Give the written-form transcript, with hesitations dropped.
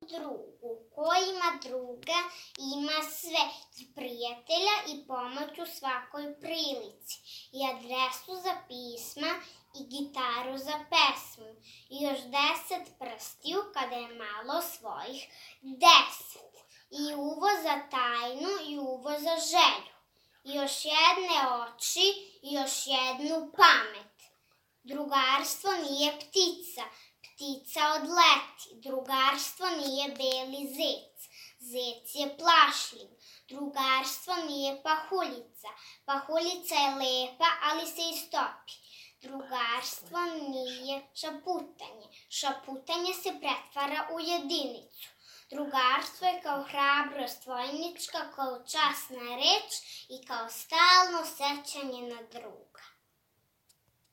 drugu. Ko ima druga, ima sve, i prijatelja i pomoć u svakoj prilici, i adresu za pisma, i gitaru za pesmu, i još 10 prstiju kada je malo svojih 10, i uvo za tajnu, i uvo za želju, i još jedne oči, i još jednu pamet. Drugarstvo nije ptica, ptica odleti. Drugarstvo nije beli zec, zec je plašljiv. Drugarstvo nije pahuljica, pahuljica je lepa, ali se istopi. Drugarstvo nije šaputanje, šaputanje se pretvara u jedinicu. Drugarstvo je kao hrabrost vojnička, kao časna reč i kao stalno sećanje na druga.